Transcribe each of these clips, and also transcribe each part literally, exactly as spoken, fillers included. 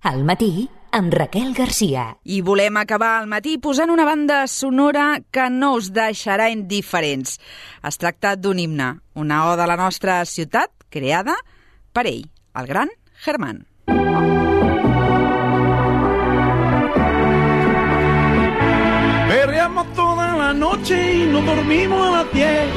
Al matí, amb Raquel Garcia. I volem acabar el matí posant una banda sonora que no us deixarà indiferents. Es tracta d'un himne, una oda a la nostra ciutat, creada per ell, el gran Germán. Perreamos toda la noche y no dormimos a las diez.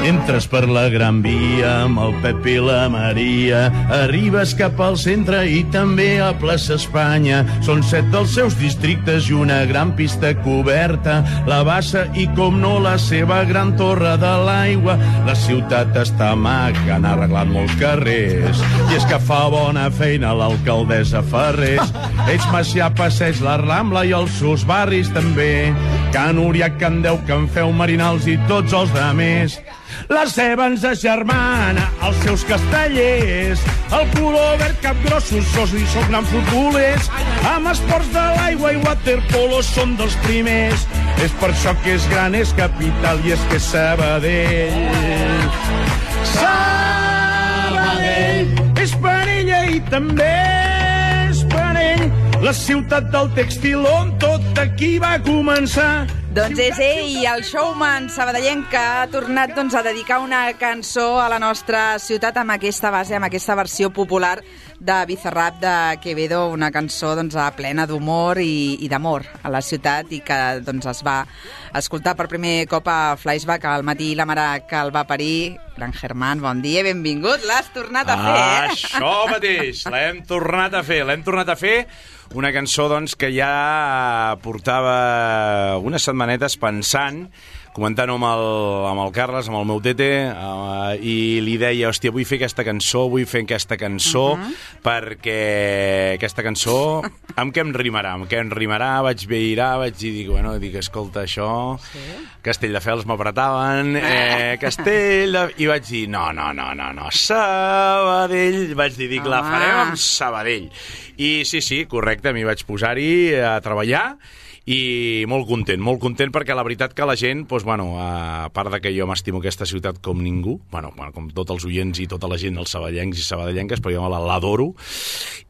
Entres per la Gran Via amb el Pep i la Maria, arribes cap al centre i també a Plaça Espanya. Són set dels seus districtes i una gran pista coberta, la Bassa i, com no, la seva gran torre de l'aigua. La ciutat està maca, han arreglat molts carrers, i és que fa bona feina l'alcaldessa Ferrés. Ells Macià, Passeig, la Rambla i els seus barris també, Can Uriac, Can Deu, Can Feu, Marinals i tots els demés. La seva ens agermana, els seus castellers, el color verd, capgrossos, sos i són grans futbolers. Amb esports de l'aigua i waterpolo són dels primers. És per això que és gran, és capital i és que és Sabadell. Sabadell és parella i també és parell, la ciutat del tèxtil on tot aquí va començar. Doncs és ell, el showman sabadellenc, que ha tornat doncs, a dedicar una cançó a la nostra ciutat amb aquesta base, amb aquesta versió popular de Bizarrap de Quevedo, una cançó doncs, plena d'humor i, i d'amor a la ciutat, i que doncs, es va escoltar per primer cop a Flashback al matí, la mare que el va parir. Gran Germán, bon dia, benvingut, l'has tornat a fer, eh? Això mateix, l'hem tornat a fer, l'hem tornat a fer. Una cançó, doncs, que ja portava unes setmanetes pensant, comentant-ho amb, amb el Carles, amb el meu tete, uh, i li deia, hòstia, vull fer aquesta cançó, vull fer aquesta cançó, uh -huh. perquè aquesta cançó, amb què em rimarà? Amb què em rimarà? Vaig mirar, vaig dir, dic, bueno, dic, escolta, això... Sí? Castelldefels m'apretaven, eh, Castell... De... I vaig dir, no, no, no, no, no, Sabadell... Vaig dir, dic, la farem amb Sabadell. I sí, sí, correcte, m'hi vaig posar-hi a treballar, i molt content, molt content, perquè la veritat que la gent, doncs, bueno, a part de que jo m'estimo aquesta ciutat com ningú, bueno, bueno, com tots els oients i tota la gent, els sabadellencs i sabadellenques, però jo l'adoro,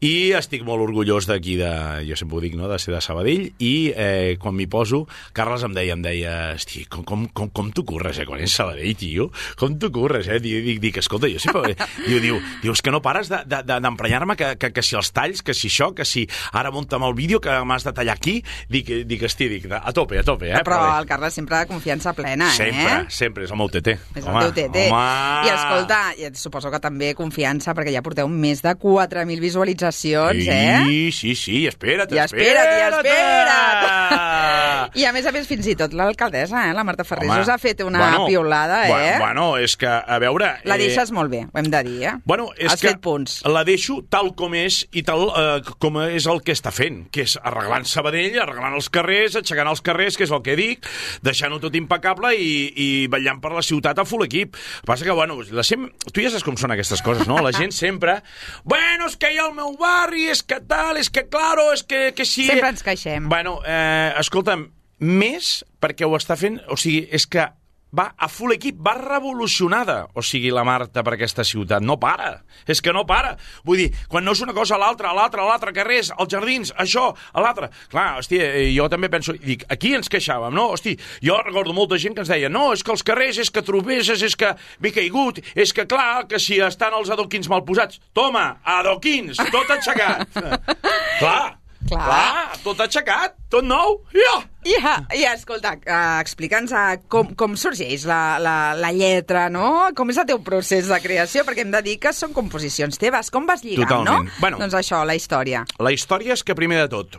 i estic molt orgullós d'aquí, de, jo sempre ho dic, no?, de ser de Sabadell, i eh, quan m'hi poso, Carles em deia, em deia, hosti, com, com, com, com t'ho curres, eh, quan ets Sabadell, tio? Com t'ho curres, eh? Dic, dic, dic escolta, jo sempre... Diu, diu, diu, és que no pares d'emprenyar-me que, que, que si els talls, que si això, que si ara munta'm el vídeo, que m'has de tallar aquí, dic, dic, estic, dic, a tope, a tope, eh? Però, però el Carles sempre de confiança plena, sempre, eh? Sempre, sempre, és el meu tete. És home, el teu tete. Home. I escolta, suposo que també confiança, perquè ja porteu més de quatre mil visualitzacions, sí, eh? Sí, sí, sí, espera't, I espera't, espera't, i espera't! I a més a més, fins i tot l'alcaldessa, eh? La Marta Ferrés, home, us ha fet una bueno, piulada, eh? Bueno, és que, a veure... La deixes eh... molt bé, ho hem de dir, eh? Bueno, és Has que fet punts. La deixo tal com és i tal eh, com és el que està fent, que és arreglant Sabadell, arreglant els carrers, aixecant els carrers, que és el que dic, deixant-ho tot impecable i, i ballant per la ciutat a full equip. Passa que, bueno, la sem... tu ja saps com són aquestes coses, no? La gent sempre... Bueno, és que hi ha el meu barri, és que tal, és que claro, és que, que sí... Sempre ens queixem. Bueno, eh, escolta'm, més perquè ho està fent... O sigui, és que va a full equip, va revolucionada, o sigui, la Marta per aquesta ciutat. No para, és que no para. Vull dir, quan no és una cosa a l'altra, a l'altra, a l'altre, carrers, als jardins, això, a l'altre. Clar, hòstia, jo també penso, dic, aquí ens queixàvem, no? Hosti, jo recordo molta gent que ens deia, no, és que els carrers, és que trobeses, és que m'he caigut, és que clar, que si estan els adoquins mal posats. Toma, adoquins, tot aixecat. Clar. Clar. Clar, tot aixecat, tot nou. Ja! Ja, ja, escolta, uh, explica'ns uh, com, com sorgeix la, la, la lletra, no? Com és el teu procés de creació? Perquè hem de dir que són composicions teves. Com vas lligant, totalment, no? Bueno, doncs això, la història. La història és que, primer de tot,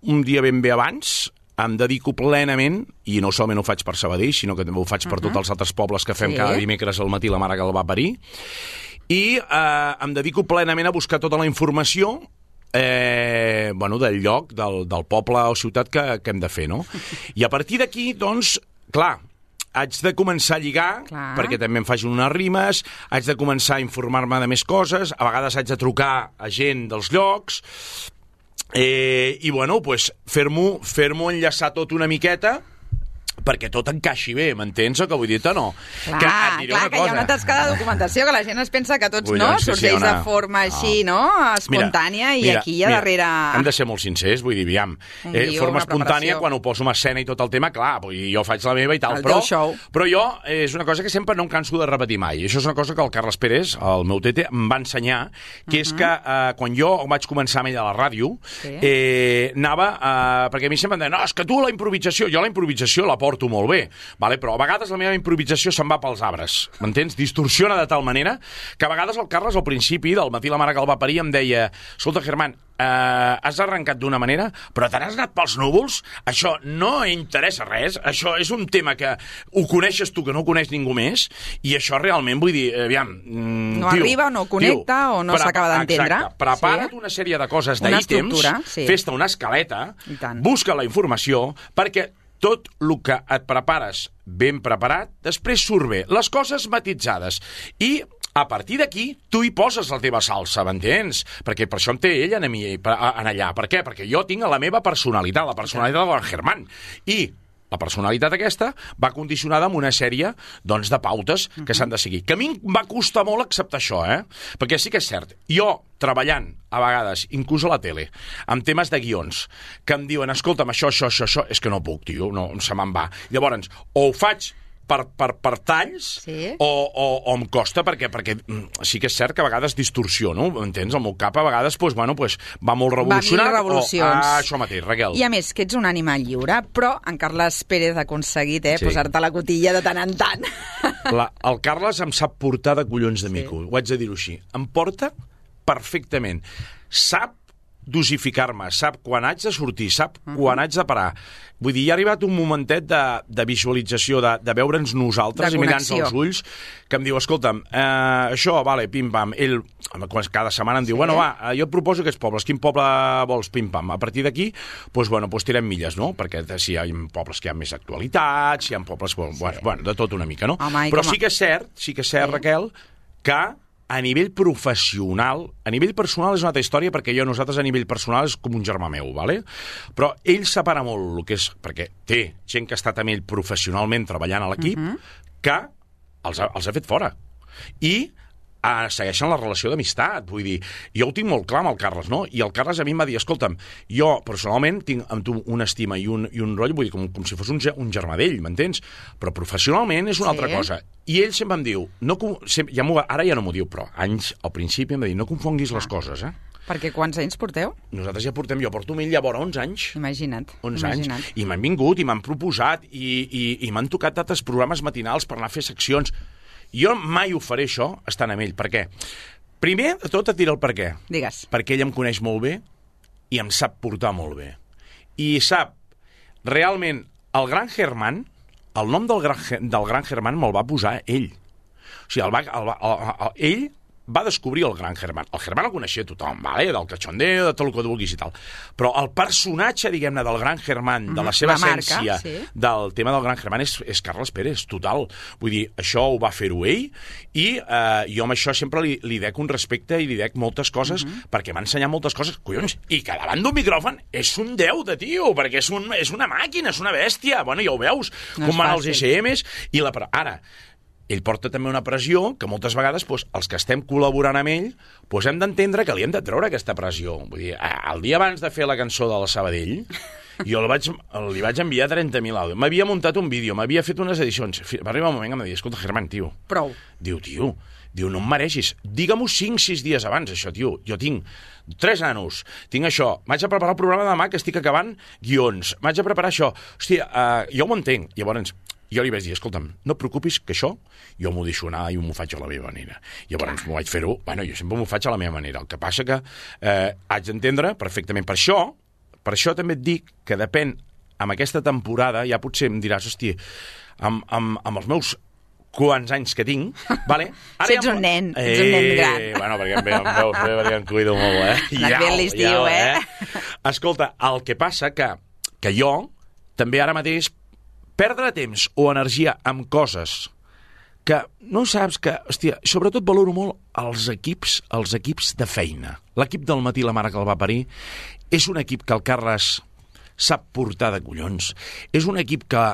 un dia ben bé abans, em dedico plenament, i no solament ho faig per Sabadell, sinó que també ho faig per uh -huh. tots els altres pobles que fem sí. cada dimecres al matí, la mare que el va parir, i eh, em dedico plenament a buscar tota la informació Eh, bueno, del lloc, del, del poble o ciutat que, que hem de fer, no? I a partir d'aquí, doncs, clar, haig de començar a lligar, clar. Perquè també em facin unes rimes, haig de començar a informar-me de més coses, a vegades haig de trucar a gent dels llocs, eh, i, bueno, pues, fer-m'ho fer-m'ho enllaçar tot una miqueta perquè tot encaixi bé, m'entens el que vull dir-te o no? Clar, que, et diré clar una que hi ha cosa. una tasca de documentació que la gent es pensa que tots Vull no dir, sí, sí, sorteix una- de forma així, no? Espontània, i mira, aquí hi ha mira, darrere... Hem de ser molt sincers, vull dir, aviam, Un eh, guió, forma una espontània, preparació. quan ho poso en escena i tot el tema, clar, vull dir, jo faig la meva i tal, El però, teu show. però jo, eh, és una cosa que sempre no em canso de repetir mai. I això és una cosa que el Carles Pérez, el meu tete, em va ensenyar, que és que eh, quan jo vaig començar amb ell a la ràdio, Sí. eh, anava, eh, perquè a mi sempre em deien, no, és que tu la improvisació, jo la improvisació la porto molt bé, vale? Però a vegades la meva improvisació se'n va pels arbres, m'entens? Distorsiona de tal manera que a vegades el Carles al principi, del matí la mare que el va parir, em deia, escolta, Germán, eh, has arrencat d'una manera, però te n'has anat pels núvols? Això no interessa res, això és un tema que ho coneixes tu, que no ho coneix ningú més, i això realment, vull dir, aviam... Mm, No tio, arriba, o no connecta, tio, o no s'acaba d'entendre. Exacte, prepara't Sí. una sèrie de coses Una d'ítems, estructura, sí. fes-te una escaleta, I tant. busca la informació, perquè tot el que et prepares ben preparat, després surt bé. Les coses matitzades. I a partir d'aquí, tu hi poses la teva salsa, m'entens? Perquè per això em té ell en, mi, en allà. Per què? Perquè jo tinc la meva personalitat, la personalitat del Germán. I la personalitat aquesta va condicionada amb una sèrie doncs, de pautes que s'han de seguir. Que a mi em va costar molt acceptar això, eh? Perquè sí que és cert, jo treballant, a vegades, inclús a la tele, amb temes de guions, que em diuen, escolta'm, això, això, això, això, és que no puc, tio, no, se me'n va. Llavors, o ho faig per, per, per talls, Sí. o, o, o em costa, perquè, perquè mm, sí que és cert que a vegades distorsiono, entens? El meu cap a vegades pues, bueno, pues, va molt revolucionat. Va mil revolucions. O, ah, això mateix, Raquel. I a més, que ets un animal lliure, però en Carles Pérez ha aconseguit eh, Sí. posar-te la cotilla de tant en tant. La, el Carles em sap portar de collons de mico, sí. Ho haig de dir-ho així. Em porta perfectament. Sap dosificar-me, sap quan haig de sortir, sap uh -huh. quan haig de parar. Vull dir, hi ha arribat un momentet de, de visualització, de, de veure'ns nosaltres De i mirar-nos connexió. als ulls, que em diu, escolta'm, eh, això, vale, pim-pam. Ell, cada setmana em diu, Sí. bueno, va, jo et proposo aquests pobles, quin poble vols, pim-pam? A partir d'aquí, doncs, bueno, doncs tirem milles, no? Perquè si hi ha pobles que hi ha més actualitat, si hi ha pobles, bueno, sí. bueno de tot una mica, no? Home, Però com a- sí que és cert, sí que és cert, Sí. Raquel, que a nivell professional, a nivell personal és una altra història, perquè jo, nosaltres a nivell personal és com un germà meu, ¿vale? Però ell separa molt el que és, perquè té gent que ha estat amb ell professionalment treballant a l'equip, uh -huh. que els ha, els ha fet fora. I eh, segueixen la relació d'amistat, vull dir, jo ho tinc molt clar amb el Carles, no? I el Carles a mi em va dir, escolta'm, jo personalment tinc amb tu una estima i un, i un rotllo, vull dir, com, com si fos un, ge- un germà d'ell, m'entens? Però professionalment és una Sí. altra cosa. I ell sempre em diu, no, con- sempre, ja m'ho- ara ja no m'ho diu, però anys al principi em va dir, no confonguis les coses, eh? Perquè quants anys porteu? Nosaltres ja portem, jo porto amb ell llavors onze anys. Imagina't. onze imagina't. anys, i m'han vingut i m'han proposat i, i, i m'han tocat altres programes matinals per anar a fer seccions. Jo mai ho faré, això, estant amb ell. Per què? Primer de tot et diré el per què. Digues. Perquè ell em coneix molt bé i em sap portar molt bé. I sap, realment, el gran Germán, el nom del gran, del gran Germán me'l va posar ell. O sigui, el va, el va, el, el, ell va descobrir el gran Germán. El Germán el coneixia tothom, vale? Del cachondeo, de tot el que vulguis i tal. Però el personatge, diguem-ne, del gran Germán, de la seva La marca, essència, sí. del tema del gran Germán, és, és Carles Pérez, total. Vull dir, això ho va fer-ho ell, i eh, jo amb això sempre li, li dec un respecte i li dec moltes coses, uh -huh. perquè m'ha ensenyat moltes coses, collons, i que davant d'un micròfon és un déu de tio, perquè és, un, és una màquina, és una bèstia. Bueno, ja ho veus, No com és van els fàcil. S Ms, i la... Ara, ell porta també una pressió que moltes vegades doncs, els que estem col·laborant amb ell doncs, hem d'entendre que li hem de treure aquesta pressió. Vull dir, el dia abans de fer la cançó de la Sabadell, jo li vaig, li vaig enviar trenta mil àudios. M'havia muntat un vídeo, m'havia fet unes edicions. Va arribar un moment que em va dir, escolta, Germán, tio, Prou. diu, tio, diu, no em mereixis. Digue-m'ho cinc sis dies abans, això, tio. Jo tinc tres nanos, tinc això, m'haig de preparar el programa de demà, que estic acabant guions, m'haig de preparar això. Hòstia, uh, jo ho entenc. Llavors, jo li vaig dir, escolta'm, no et preocupis que això jo m'ho deixo anar i m'ho faig a la meva manera. Llavors m'ho vaig fer-ho, bueno, jo sempre m'ho faig a la meva manera. El que passa que eh, haig d'entendre perfectament. Per això, per això també et dic que depèn, amb aquesta temporada, ja potser em diràs, hòstia, amb, amb, amb els meus quants anys que tinc, vale? Ara si ets ja... un nen, ets un nen gran. Eh, bueno, perquè em veus, em veus bé, perquè em cuido molt, eh? Anat bé l'estiu, eh? Escolta, el que passa que, que jo, també ara mateix, perdre temps o energia amb coses que no saps que... Hòstia, sobretot valoro molt els equips, els equips de feina. L'equip del matí, la mare que el va parir, és un equip que el Carles sap portar de collons. És un equip que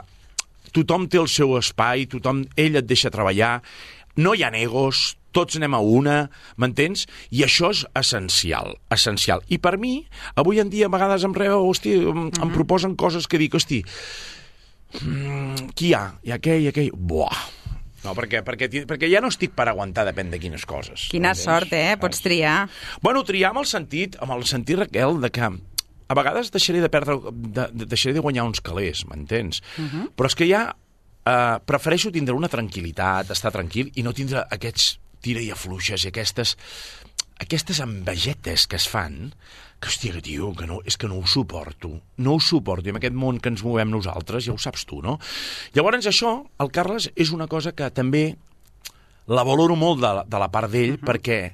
tothom té el seu espai, tothom, ell et deixa treballar, no hi ha egos, tots anem a una, m'entens? I això és essencial, essencial. I per mi, avui en dia, a vegades em reu, hosti, em, em proposen coses que dic, hosti, mm, qui hi ha? Hi ha aquell, hi ha aquell... Buah! No, perquè, perquè, perquè ja no estic per aguantar, depèn de quines coses. Quina sort, eh? Pots triar. Bueno, triar amb el sentit, amb el sentit, Raquel, de que a vegades deixaré de perdre, de, de, deixaré de guanyar uns calés, m'entens? Uh -huh. Però és que ja eh, prefereixo tindre una tranquil·litat, estar tranquil, i no tindre aquests tira i afluixes i aquestes, aquestes envegetes que es fan, que, hòstia, que tio, que no, és que no ho suporto, no ho suporto, i en aquest món que ens movem nosaltres, ja ho saps tu, no? Llavors, això, el Carles, és una cosa que també la valoro molt de, de la part d'ell, uh -huh. perquè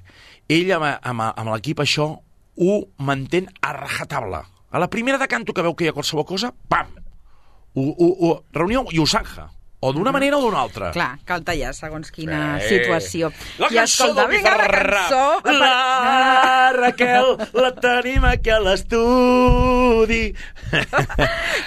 ell, amb, amb, amb l'equip, això ho mantén a rajatabla. A la primera de canto que veu que hi ha qualsevol cosa, pam! Ho, ho, ho, reunió i ho sanja. O d'una manera o d'una altra. Clar, cal tallar segons quina sí. situació. La I cançó escolta, del vinga, la cançó... La Raquel, la tenim aquí a l'estudi.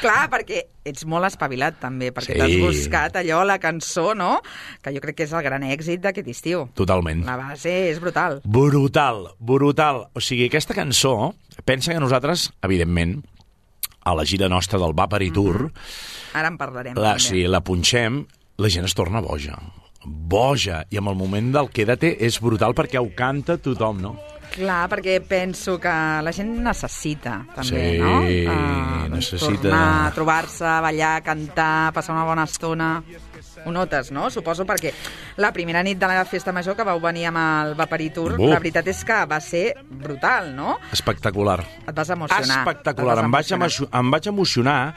Clar, perquè ets molt espavilat, també, perquè Sí. t'has buscat allò, la cançó, no?, que jo crec que és el gran èxit d'aquest estiu. Totalment. La base és brutal. Brutal, brutal. O sigui, aquesta cançó, pensa que nosaltres, evidentment, a la gira nostra del Vapari Tour, mm-hmm. Ara en parlarem. la, també. si la punxem, la gent es torna boja. Boja. I amb el moment del Quédate és brutal perquè ho canta tothom, no? Clar, perquè penso que la gent necessita, també, Sí, no? Uh, necessita. Tornar a trobar-se, ballar, cantar, passar una bona estona. Ho notes, no? Suposo, perquè la primera nit de la festa major que vau venir amb el Vapari Tour, Buf. la veritat és que va ser brutal, no? Espectacular. Et vas emocionar. Espectacular. Et vas Em vaig, emocionar. emo- em vaig emocionar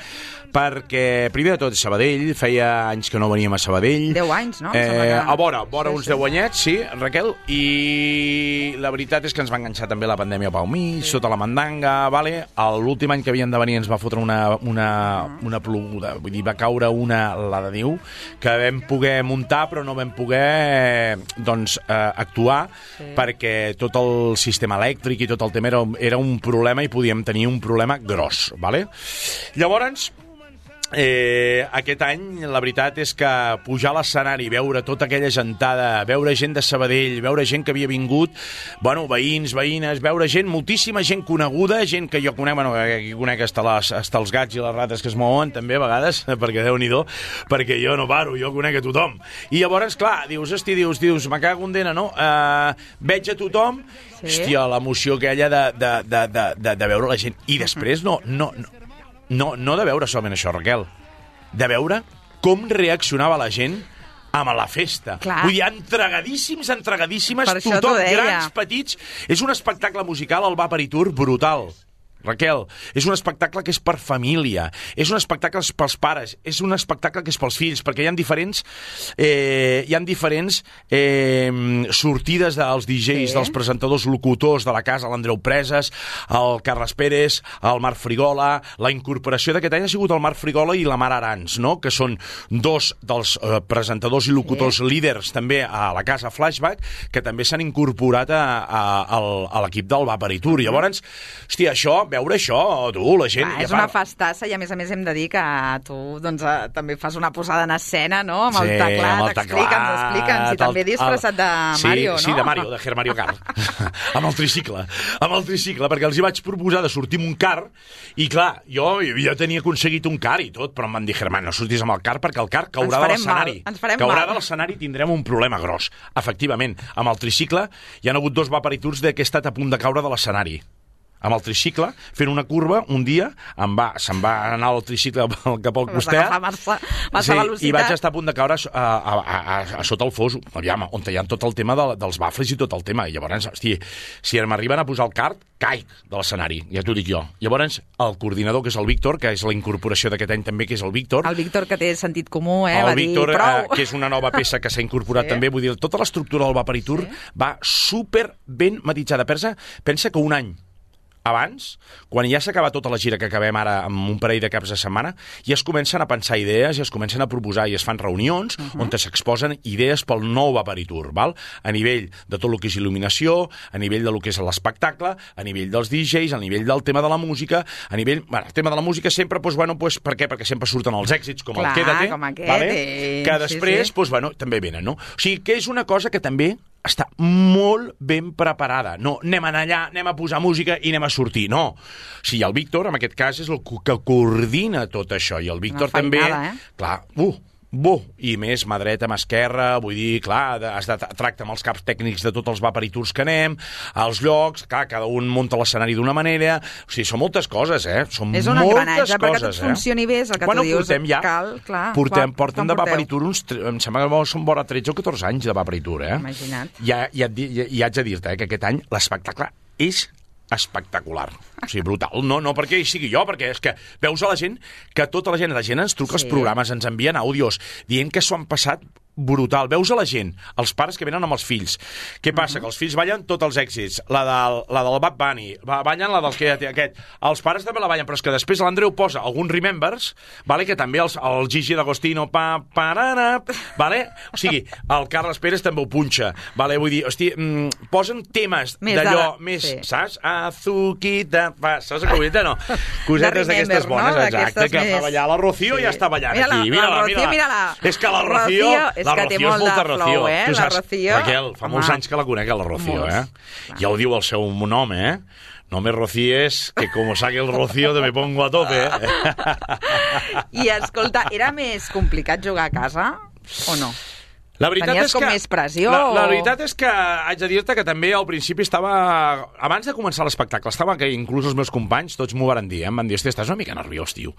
perquè, primer de tot, Sabadell, feia anys que no veníem a Sabadell. Deu anys, no? Em sembla Eh, que- a vora, a vora Sí, uns sí. deu anyets, sí, Raquel, i la veritat és que ens va enganxar també la pandèmia pel mig, sí. sota la mandanga, vale? L'últim any que havien de venir ens va fotre una, una, una ploguda, vull dir, va caure una, la de Déu, que vam poder muntar, però no vam poder, doncs, eh, actuar, Sí. perquè tot el sistema elèctric i tot el tema era, era un problema i podíem tenir un problema gros, vale? Llavors, Eh, aquest any la veritat és que pujar a l'escenari, veure tota aquella gentada, veure gent de Sabadell, veure gent que havia vingut, bueno, veïns, veïnes, veure gent, moltíssima gent coneguda, gent que jo conec, bueno, aquí conec hasta, les, hasta els gats i les rates que es mouen també a vegades, perquè Déu-n'hi-do, perquè jo no paro, jo conec a tothom. I llavors, clar, dius, hosti, dius, dius, me cago en dena, no? Uh, veig a tothom, Sí. hòstia, l'emoció aquella de, de, de, de, de, de veure la gent. I després no, no, no No, no de veure solament això, Raquel, de veure com reaccionava la gent amb la festa. Clar. Vull dir, entregadíssims, entregadíssimes, Per això tothom, t'ho deia. grans, petits. És un espectacle musical, el Vapari Tour, brutal. Raquel, és un espectacle que és per família, és un espectacle pels pares, és un espectacle que és pels fills, perquè hi ha diferents, eh, hi ha diferents eh, sortides dels D Js, Sí. dels presentadors locutors de la casa, l'Andreu Preses, el Carles Pérez, el Marc Frigola. La incorporació d'aquest any ha sigut el Marc Frigola i la Mar Arans, no? Que són dos dels eh, presentadors i locutors sí. líders també a la casa Flashback, que també s'han incorporat a, a, a, a l'equip del Vapari Tour. Llavors, hòstia, això, veure això, tu, la gent... Clar, ja és fa- una festassa i a més a més hem de dir que tu doncs, eh, també fas una posada en escena, no? Amb el Sí, teclat, amb el explica'ns, teclat, explica'ns, i també el- disfressat de sí, Mario, no? Sí, de Mario, de Ger Mario Kart. amb el tricicle, amb el tricicle, perquè els hi vaig proposar de sortir amb un car, i clar, jo, jo tenia aconseguit un car i tot, però em van dir, Germán, no sortis amb el car perquè el car caurà Ens de farem l'escenari. mal, ens farem Caurà mal. de l'escenari i tindrem un problema gros. Efectivament, amb el tricicle hi ha hagut dos Vapari Tours de que he estat a punt de caure de l'escenari. Amb el tricicle, fent una curva, un dia, em va, se'm va anar el tricicle cap al Vas costat. agafar massa, massa Sí, velocitat. i vaig estar a punt de caure a, a, a, a, a sota el fos, aviam, on hi ha tot el tema de, dels bafles i tot el tema. I llavors, hosti, si m'arriben a posar el kart, caic de l'escenari, ja t'ho dic jo. Llavors, el coordinador, que és el Víctor, que és la incorporació d'aquest any també, que és el Víctor, El Víctor, que té sentit comú, eh? el va Víctor, dir, prou. eh, que és una nova peça que s'ha incorporat Sí. també, vull dir, tota l'estructura del Vapari Tour Sí. va super ben matitzada. Pensa, pensa que un any abans, quan ja s'acaba tota la gira que acabem ara amb un parell de caps de setmana, ja es comencen a pensar idees, ja es comencen a proposar i es fan reunions uh -huh. on s'exposen idees pel nou Vaporitur, val? A nivell de tot el que és il·luminació, a nivell de lo que és l'espectacle, a nivell dels D Js, a nivell del tema de la música, a nivell... Bueno, el tema de la música sempre, doncs, bueno, doncs, per què? Perquè sempre surten els èxits, com Clar, el Quédate, com aquest, vale? eh? Que després, sí, sí. doncs, bueno, també venen, no? O sigui, que és una cosa que també està molt ben preparada. No, anem a anar allà, anem a posar música i anem a sortir. No. O sigui, el Víctor, en aquest cas, és el que coordina tot això. I el Víctor també... Eh? Clar, uh, buh, i més mà dreta, mà esquerra, vull dir, clar, has de tractar amb els caps tècnics de tots els Vaporiturs que anem, els llocs, clar, cada un munta l'escenari d'una manera, o sigui, són moltes coses, eh? Són és un moltes engranatge, coses, perquè tot eh? funcioni bé, és el que Quan tu dius, portem ja? cal, clar. Portem, quan, portem quan de porteu? Vaporitur uns... Em sembla que són vora tretze o catorze anys de Vaporitur, eh? Imagina't. Ja, ja, ja, ja haig de dir-te, eh, que aquest any l'espectacle és espectacular. O sigui, brutal. No, no perquè hi sigui jo, perquè és que veus a la gent que tota la gent, la gent ens truca als Sí. programes, ens envien àudios, dient que s'ho han passat brutal. Veus a la gent, els pares que venen amb els fills. Què passa? Uh -huh. Que els fills ballen tots els èxits. La del, la del Bad Bunny, ballen la del que aquest. Els pares també la ballen, però és que després l'Andreu posa alguns Remembers, vale? Que també els, el Gigi D'Agostino, pa, parana, vale? O sigui, el Carles Pérez també ho punxa, vale? Vull dir, hosti, mm, posen temes d'allò més, sí. Saps? Azuquita, va, saps el que no? Cosetes d'aquestes bones, no? Exacte, que més... fa ballar la Rocío sí. Ja està ballant mira aquí. Mira-la, mira-la, Rocío, mira-la. És que la Rocío... Rocío és que té molt de flow, eh? Tu la saps, Rocío... Raquel, fa Home. molts anys que la conec, la Rocío, eh? Ja ho diu el seu nom, eh? No me rocies, que como saque el Rocío te me pongo a tope, eh? I, escolta, era més complicat jugar a casa o no? La veritat Tenies és com que, més pressió? La, la o... veritat és que haig de dir-te que també al principi estava... Abans de començar l'espectacle, estava que inclús els meus companys, tots m'ho van dir, eh? Em van dir, hosti, estàs una mica nerviós, tio.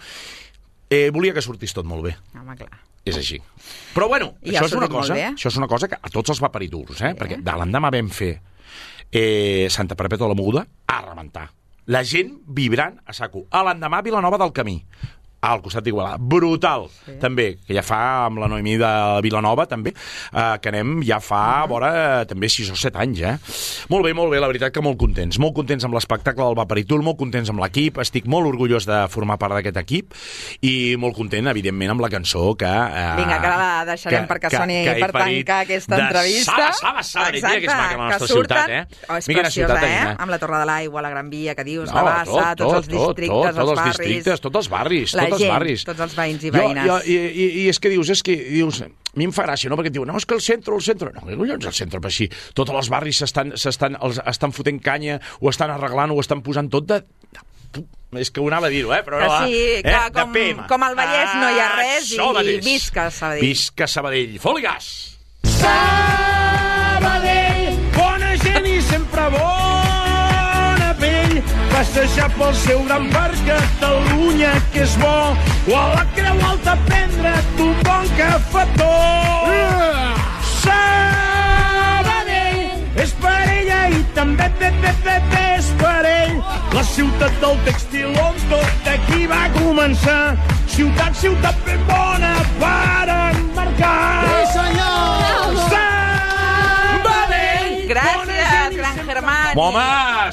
Eh, volia que sortís tot molt bé. Home, clar. És així. Però, bueno, I això ha és, una sortit molt cosa, bé. això és una cosa que a tots els Vaporiturs, eh? Sí. Perquè de l'endemà vam fer eh, Santa Perpètua de la Moguda a rebentar. La gent vibrant a saco. A l'endemà Vilanova del Camí. Al costat d'Igualada. Brutal, sí. També, que ja fa amb la Noemí de Vilanova, també, eh, que anem ja fa, uh -huh. vora, també sis o set anys, eh? Molt bé, molt bé, la veritat que molt contents. Molt contents amb l'espectacle del Vaporitur, molt contents amb l'equip, estic molt orgullós de formar part d'aquest equip i molt content, evidentment, amb la cançó que... Eh, Vinga, que la deixarem que, perquè soni que, que per tancar aquesta entrevista. Saba, Saba, Saba, Exacte, que és maca la nostra surten, ciutat, eh? Oh, és Mica preciosa, ciutat, eh? eh? Amb la Torre de l'Aigua, la Gran Via, que dius, no, la Bassa, tot, tots els tot, districtes, tot, els tots barris... els districtes, tots els barris, la tots gent, els barris. tots els veïns i Jo, veïnes. jo, i, i, I és que dius, és que dius... A mi em fa gràcia, no? Perquè et diuen, no, és que el centre, el centre... No, què collons el centre? Per si tots els barris s'estan, s'estan, els, estan fotent canya, ho estan arreglant, ho estan posant tot de... És que ho anava a dir-ho, eh? Però que no, sí, eh? que com, com al Vallès no hi ha res i, i visca Sabadell. Visca Sabadell. Foli-gas! Sabadell, bona gent i sempre bona pell, passejar pel seu gran parc Catalunya, que és bo, o a la Creu Alta prendre't un bon cafetó. Uh! Sabadell és parella i també bé, bé, bé, bé, és parell. La ciutat del tèxtil on tot aquí va començar. Ciutat, ciutat ben bona per embarcar. Sí, senyor! Sabadell! Gràcies, gran Germán. Home,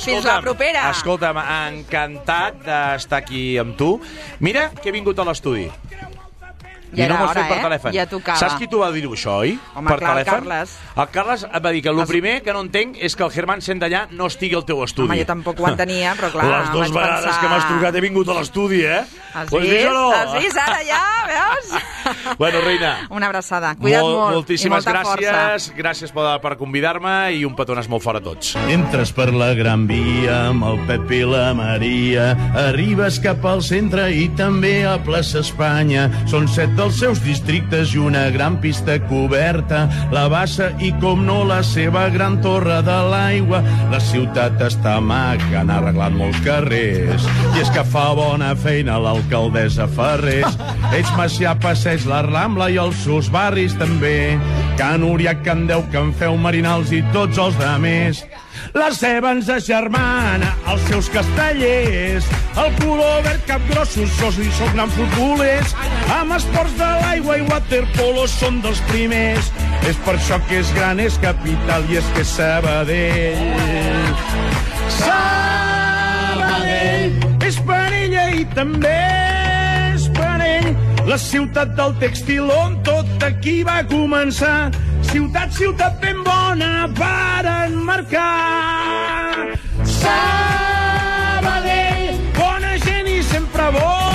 fins la propera. Escolta'm, encantat d'estar aquí amb tu. Mira que he vingut a l'estudi. Ja I no m'ho has hora, fet per eh? telèfon. Ja tocava. Saps qui t'ho va dir això, oi? Home, per clar, el telèfon? Carles. El Carles et va dir que el primer que no entenc és que el Germán sent d'allà no estigui al teu estudi. Home, jo tampoc ho entenia, però clar, les dues vegades pensar... que m'has trucat he vingut a l'estudi, eh? Has Ho has vist? vist o no? Has vist, ara ja, veus? Bueno, reina. Una abraçada. Cuida't molt, molt. Moltíssimes i molta gràcies. Força. Gràcies per, per convidar-me i un petonàs molt fort a tots. Entres per la Gran Via amb el Pep i la Maria, arribes cap al centre i també a plaça Espanya. Són set dels seus districtes i una gran pista coberta, la Bassa i, com no, la seva gran torre de l'aigua. La ciutat està maca, han arreglat molts carrers, i és que fa bona feina l'alcaldessa Ferrés. Ells Macià, Passeig, la Rambla i els seus barris també, Can Uriac, Can Deu, Can Feu, Marinals i tots els demés. La seva ens agermana, els seus castellers, el color verd, capgrossos, sos i són grans futbolers, amb esports de l'aigua i waterpolo són dels primers. És per això que és gran, és capital i és que és Sabadell. Sabadell! també és Parell, la ciutat del tèxtil on tot aquí va començar. Ciutat, ciutat ben bona per enmarcar. Sabadell, bona gent i sempre bo.